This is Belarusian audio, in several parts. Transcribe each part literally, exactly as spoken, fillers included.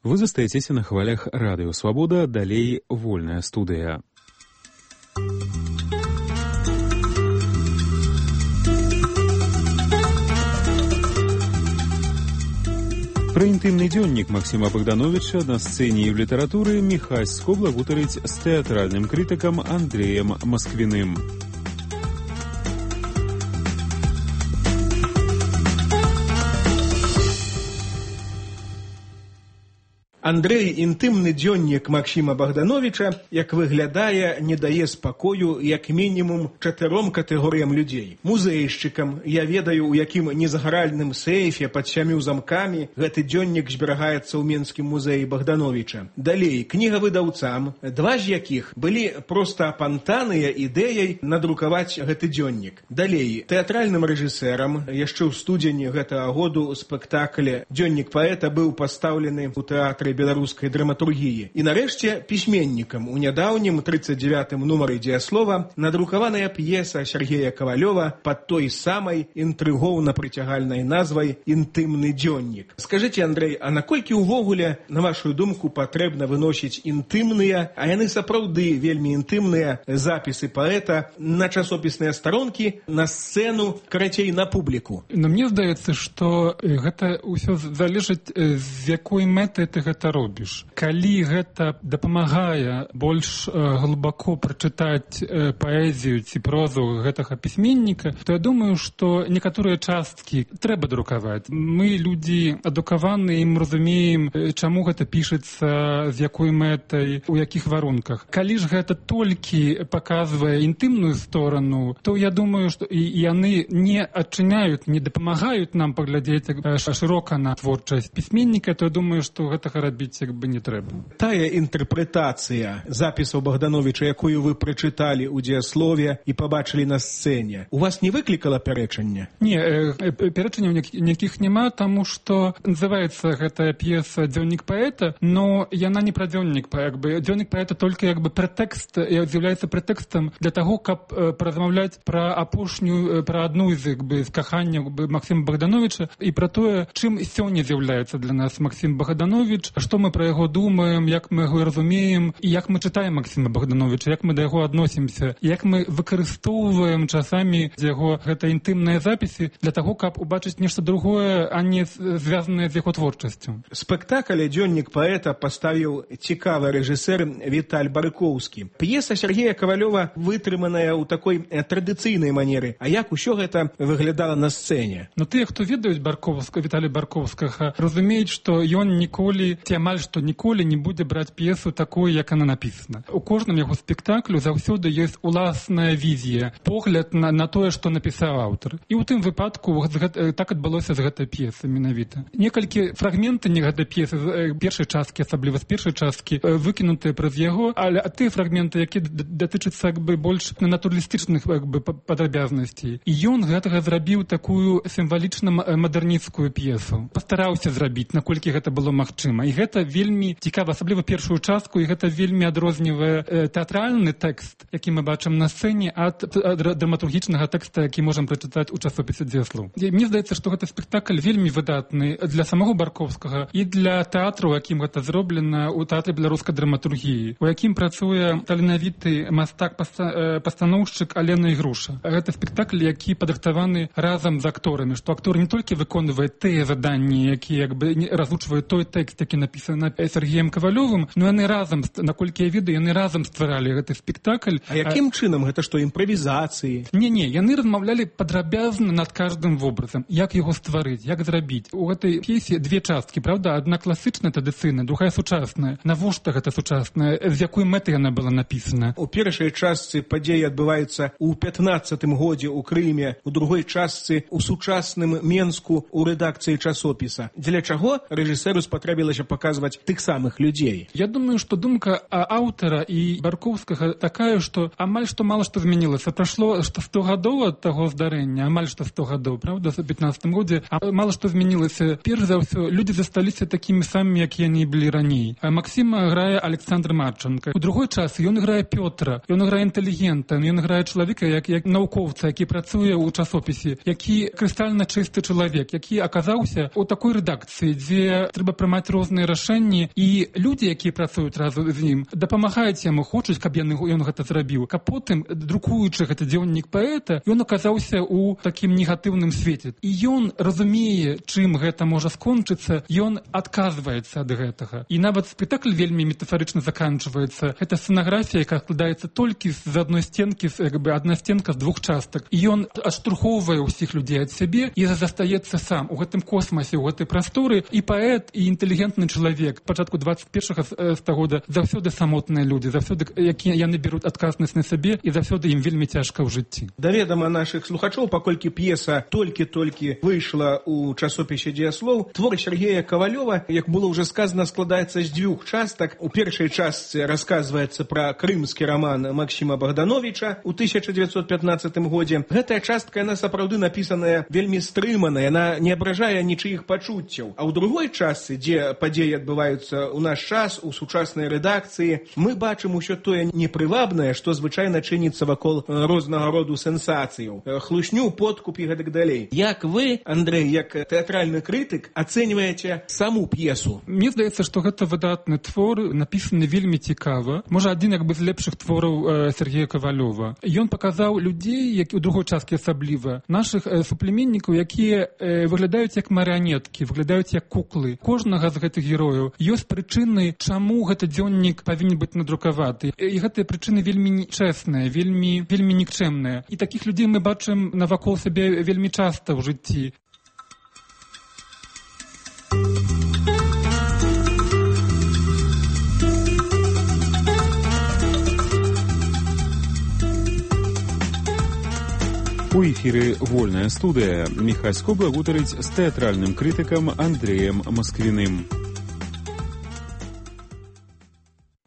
Вы застаецеся на хвалях Радыё Свабода, далей вольная студыя. Пра інтымны дзённік Максіма Богдановича на сцэне і ў літаратуры Міхась Скобла гутарыць з тэатральным крытыкам Андрэем Масквіным. Андрэй, інтымны дзённік Максіма Богдановича, як выглядае, не дае спакою як мінімум чатыром катэгорыям людзей. Музейшчыкам, я ведаю, у якім незагаральным сейфе пад сямю замкамі гэты дзённік зберагаецца ў Менскім музеі Богдановича. Далей, кнігавыдаўцам, два з якіх былі проста апантаныя ідэяй надрукаваць гэты дзённік. Далей, тэатральным рэжысэрам, яшчэ ў студзені гэтага году ў спектакле «Дзённік паэта» быў пастаўлены ў тэатры беларускай драматургіі. І нарэшце пісьменнікам у нядаўнім тридцать девятым нумары дзеяслова надрукаваная п'еса Сергея Ковалёва пад той самай інтрыгоўна прыцягальнай назвай «Інтымны дзённік». Скажыце, Андрэй, а наколькі ўвогуле, на вашу думку, патрэбна выносіць інтымныя, а яны сапраўды вельмі інтымныя запісы паэта на часопісныя старонкі, на сцэну, карацей, на публіку? Но мне здаецца, што гэта ўсё залежыць, з якой мэтай ты гэта робіш. Калі гэта дапамагае больш э, глыбоко прачытаць э, паэзію ці прозу гэтага пісьменніка, то я думаю, што некаторыя часткі трэба друкаваць. Мы, людзі адукаваныя, і мы разумеем, чаму гэта пішацца, з якой мэтай, у якіх варунках. Калі ж гэта толькі паказвае інтымную сторону, то я думаю, што і яны не адчыняюць, не дапамагаюць нам паглядзець шырока на творчасць пісьменніка, то я думаю, што гэтага рабіць як бы не трэба. Тая інтэрпрэтацыя запісаў Богдановича, якую вы прачыталі ў дзеяслове і пабачылі на сцэне, у вас не выклікала пярэчання? Не, э, пярэчанняў ніякіх няма, таму што называецца гэтая п'еса «Дзённік паэта», но яна не пра дзённік паэта. Дзённік паэта толькі як бы прэтэкст, з'яўляецца прэтэкстам для таго, каб э, паразмаўляць пра апошнюю, пра адну з як бы з каханняў Максіма Богдановича і пра тое, чым сёння з'яўляецца для нас Максім Богданович, што мы пра яго думаем, як мы яго разумеем, і як мы чытаем Максіма Богдановича, як мы да яго адносімся, як мы выкарыстоўваем часамі яго гэта інтымныя запісы для таго, каб убачыць нешта другое, а не звязанае з яго творчасцю. Спектакль «Дзённік паэта» паставіў цікавы рэжысэр Віталь Барыкоўскі. П'еса Сергея Ковалёва вытрыманая ў такой традыцыйнай манеры. А як усё гэта выглядала на сцэне? Ну, тыя, хто ведаюць Баркоўска, Віталя Баркоўскага, разумеюць, што ён ніколі ці амаль што ніколі не будзе браць п'есу такой, як она напісана. У кожным яго спектаклю заўсёды ёсць уласная візія, погляд на, на тое, што напісаў аўтар. І ў тым выпадку так адбылося з гэтай п'есы менавіта. Некалькі фрагменты не гэтай п'есы, першай часткі, асабліва з першай часткі, выкінутыя праз яго, але тыя фрагменты, якія датычацца як бы больш натуралістычных як бы падрабязнасцей. І ён гэтага зрабіў такую сімвалічна-мадэрнісцкую п'есу. Пастараўся зрабіць, наколькі гэта было магчыма. І гэта вельмі цікава, асабліва першую частку, і гэта вельмі адрознівае э, тэатральны тэкст, які мы бачым на сцэне, ад, ад драматургічнага тэкста, які можам прачытаць у часопісе «Дзеяслоў». Мне здаецца, што гэта спектакль вельмі выдатны для самого Баркоўскага і для тэатру, у якім гэта зроблена ў тэатры беларускай драматургіі, у якім працуе таленавіты мастак-пастаноўшчык Алена Ігруша. Гэта спектакль, які падрыхтаваны разам з акторамі, што актор не толькі выконвае тыя заданні, якія як бы разучваюць той тэкст, які напісаны Сергеем Ковалёвым, но яны разам, наколькі я ведаю, яны разам стваралі гэты спектакль. А якім а... чынам? Гэта што, імправізацыі? Не-не, яны размаўлялі падрабязна над каждым вобразам, як яго стварыць, як зрабіць. У гэтай п'есе две часткі, правда? Адна класычная, традыцыйная, другая сучасная. Навошта гэта сучасная? З якой мэтай яна была напісана? У першай частцы падзеі адбываюцца ў пятнаццатым годзе ў Крыме, у другой частцы ў сучасным Менску у рэдакцыі часопіса. Дзеля чаго рэжысэру спатрэбілася паказваць тых самых людзей? Я думаю, што думка аўтара і Баркоўскага такая, што амаль што мала што змянілася. Прашло што сто гадоў ад таго здарэння, амаль што сто гадоў, правда, у пятнаццатым годзе, а мала што змянілася. Перш за ўсё, людзі засталіся такімі самымі, як яны былі раней. А Максіма грае Александр Марченко. У другой час ён грае Пётра, ён грае інтэлігента, ён грае чалавека, як, як навукоўца, які працуе ў часопісе, які крыстальна чысты чалавек, які аказаўся ў такой рэдакцыі, дзе трэба прымаць розныя інтэлігентныя рашэнні, і людзі, якія працуюць разам з ім, дапамагаюць яму, хочуць, каб ён, ён гэта зрабіў. Каб потым, друкуючы гэты дзённік паэта, ён аказаўся ў такім негатыўным свеце. І ён разумее, чым гэта можа скончыцца, ён адказваецца ад гэтага. І нават спектакль вельмі метафарычна заканчваецца. Гэта сцэнаграфія, якая складаецца толькі з адной сценкі, як бы адна сценка з двух частак. І ён адштурхоўвае ўсіх людзей ад сябе і застаецца сам у гэтым космасе, у гэтай прасторы. І паэт, і інтэлігентны чалавек пачатку двадцать першага стагода заўсёды самотныя людзі, заўсёды якія яны бяруць адказнасць на сабе, і заўсёды ім вельмі цяжка ў жыцці. Да ведама нашых слухачоў, паколькі п'еса толькі-толькі выйшла ў часопісе «Дзеяслоў», твор Сергея Ковалёва, як было ўжо сказана, складаецца з дзвюх частак. У першай частцы расказваецца пра крымскі раман Максіма Богдановича ў тысяча дзевяцьсот пятнаццатым годзе. Гэтая частка, яна сапраўды напісаная вельмі стрымана, яна не абражае нічыіх пачуццяў. А ў другой частцы, дзе падзеі адбываюцца ў наш час, у сучаснай рэдакцыі, мы бачым усё тое непрывабнае, што звычайна чыніцца вакол рознага роду сенсацыяў, хлушню, подкуп і гэтак далей. Як вы, Андрэй, як тэатральны крытык, ацэньваеце саму п'есу? Мне здаецца, што гэта выдатны твор, напісаны вельмі цікава. Можа, адзін як бы з лепшых твораў Сергея Ковалёва. Ён паказаў людзей, які ў другой часткі асабліва, нашых суплеменнікаў, якія выглядаюць як марыянеткі, выглядаюць як куклы. Кожнага з гэтых герояў ёсць прычыны, чаму гэты дзённік павінен быць надрукаваты. І гэтыя прычыны вельмі чэсныя, вельмі, вельмі нікчэмныя. І такіх людзей мы бачым навакол сябе вельмі часта ў жыцці. У эфіры «Вольная студыя». Міхась Скобла гутарыць з тэатральным крытыкам Андрэем Масквіным.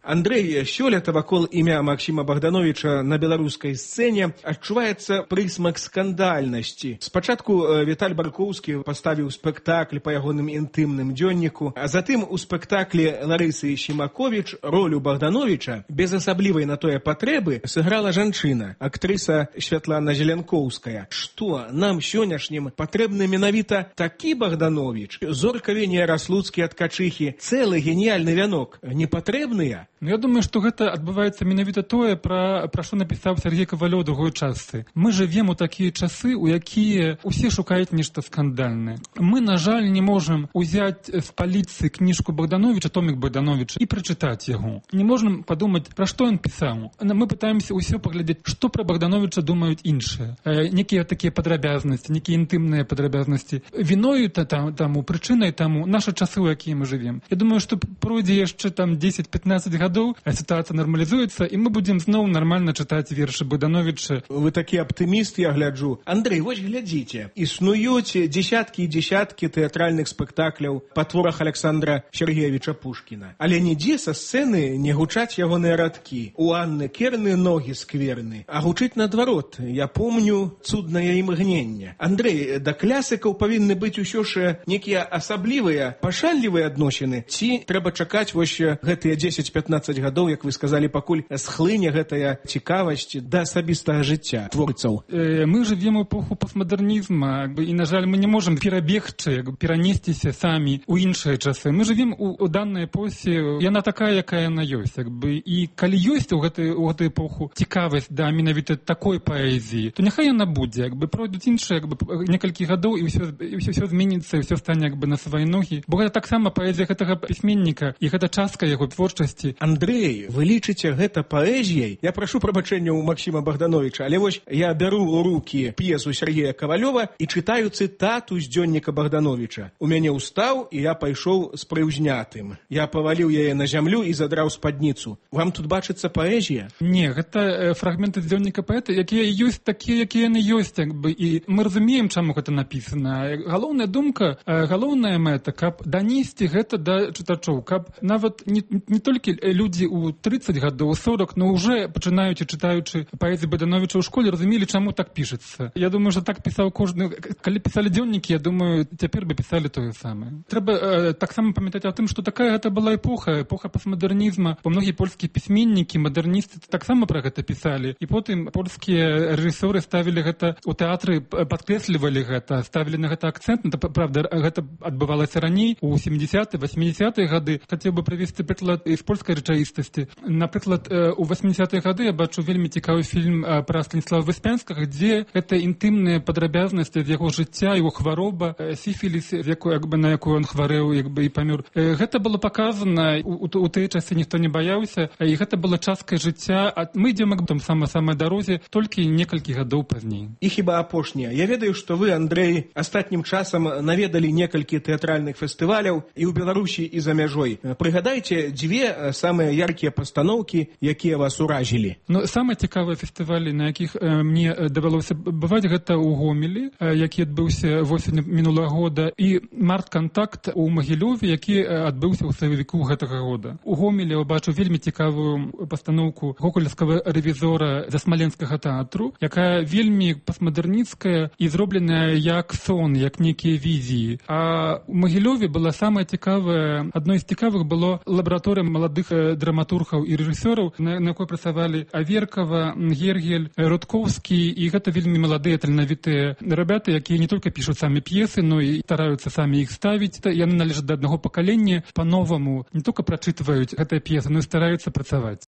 Андрэй, сёлета вакол імя Максіма Богдановича на беларускай сцэне адчуваецца прысмак скандальнасці. Спачатку Віталь Баркоўскі паставіў спектакль па ягоным інтымным дзённіку, а затым у спектаклі Ларысы Сімаковіч ролю Богдановича без асаблівай на тое патрэбы сыграла жанчына, актрыса Святлана Зеленкоўская. Што нам сённяшнім патрэбны менавіта такі Богданович? Зорка Венера Слуцкі ад Качыхі, цэлы геніяльны вянок, не патрэбныя? Ну, я думаю, што гэта адбываецца менавіта тое, пра, пра што напісаў Сергей Ковалёў у другой частцы. Мы жывем у такія часы, у якія ўсе шукаюць нешта скандальнае. Мы, на жаль, не можам узяць з паліцы кніжку Богдановича, томік Богдановича, і прачытаць яго. Не можам падумаць, пра што ён пісаў. Мы пытаемся ўсё паглядзець, што пра Богдановича думаюць іншыя. Э, некія такія падрабязнасці, некія інтымныя падрабязнасці. Віною там, таму, прычынай таму нашы часы, у якія мы жывем. Я думаю, што пройдзе яшчэ там дзесяць-пятнаццаць гадоў, ситуация нормализуется, и мы будем снова нормально читать верши Богдановича. Вы такі аптыміст, я гляджу. Андрэй, вось глядзіце. Існуюць дзесяткі і дзесяткі тэатральных спектакляў па творах Александра Сергеевича Пушкіна. Але нідзе са сцэны не гучаць ягоныя радкі. У Анны Керны ногі скверны. А гучыць наадварот. Я помню цуднае імгненне. Андрэй, да клясыкаў павінны быць усё ж некія асаблівыя, пашанлівыя адносіны. Ці трэба чакаць вось гэтыя дзесяць-пятнаццаць гадоў, як вы сказалі, пакуль схлыне гэтая цікавасць да асабістага жыцця творцаў. Э, мы жывем у эпоху постмодернізма, і, на жаль, мы не можам перабегчы, перанесціся самі ў іншыя часы. Мы жывем у, у данной эпосе, яна такая, якая яна ёсць. Як бы. І калі ёсць у гэтай, у гэтай эпоху цікавасць да менавіта такой паэзіі, то няхай яна будзе. Як бы пройдуць іншыя як бы, некалькі гадоў, і ўсё, і ўсё, ўсё зменіцца, і ўсё стане як бы, на свае ногі. Бо гэта таксама паэзія гэтага пісьменніка, і гэта частка яго творчасці. Андрэй, вы лічыце гэта паэзіяй? Я прашу прабачэння ў Максіма Богдановича, але вось я бяру ў рукі п'есу Сергея Ковалёва і чытаю цытату з дзённіка Богдановича. У мяне ўстаў, і я пайшоў з прыўзнятым. Я паваліў яе на зямлю і задраў спадніцу. Вам тут бачыцца паэзія? Не, гэта фрагменты з дзённіка паэта, якія ёсць такія, якія яны ёсць, як бы, і мы разумеем, чаму гэта напісана. Галоўная думка, галоўная мэта, каб данесці гэта да чытачоў, каб нават не, не толькі людзі ў трыццаць гадоў, сорок, но ўжо пачынаючы чытаючы паэзію Богдановича ў школе, разумелі, чаму так пішацца. Я думаю, што так пісаў кожны. Калі пісалі дзённікі, я думаю, цяпер бы пісалі тое самае. Трэба э, таксама памятаць о тым, што такая гэта была эпоха, эпоха постмадэрнізма. Бо многія польскія пісьменнікі, мадэрністы таксама пра гэта пісалі. І потым польскія рэжысёры ставілі гэта у тэатры, падкрэслівалі гэта, ставілі на гэта акцэнт. Правда, гэта адбывалася раней, у сямідзясятыя, васьмідзясятыя гады. Хацеў бы прывесці прыклад з польскай рэчаіснасці. Напрыклад, у васьмідзясятыя гады я бачу вельмі цікавы фільм пра Станіслава Выспянскага, дзе гэта інтымныя падрабязнасці з яго жыцця, яго хвароба, сіфіліс, на якую ён хварэў, як бы і памёр. Гэта было паказана, у, у тыя часы ніхто не баяўся, і гэта была часткай жыцця. Мы ідзем там сама-самай дарозе толькі некалькі гадоў пазней. І хіба апошняе. Я ведаю, што вы, Андрэй, астатнім часам наведалі некалькі тэатральных фестываляў і ў Беларусі, і за мяжой. Прыгадайце дзве самыя яркія пастаноўкі, якія вас уразілі. Ну, самыя цікавыя фестывалі, на якіх э, мне давялося бываць, гэта ў Гомелі, э, які адбыўся восень мінулага года, і март-кантакт у Магілёве, які адбыўся ў сакавіку гэтага года. У Гомелі я бачу вельмі цікавую пастаноўку гогольскага рэвізора Засмаленскага тэатру, якая вельмі постмадэрніцкая і зробленая як сон, як некія візіі. А у Магілёве была самая цікавая, адной з цікавых было лабараторыя маладых драматургаў і рэжысёраў, на, на якой працавалі Аверкава, Гергель, Рудкоўскі, і гэта вельмі маладыя, таленавітыя рабяты, якія не толькі пішуць самі п'есы, но і стараюцца самі іх ставіць. Яны належаць да аднаго пакалення, па-новаму не толькі прачытваюць гэтыя п'есы, но і стараюцца працаваць.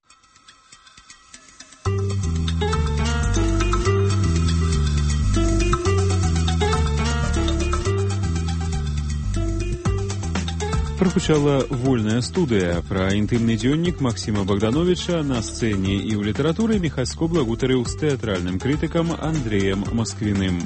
Прагучала вольная студыя. Пра інтымны дзённік Максіма Богдановича на сцэне і ў літаратуры Міхась Скобла гутарыў з тэатральным крытыкам Андрэем Масквіным.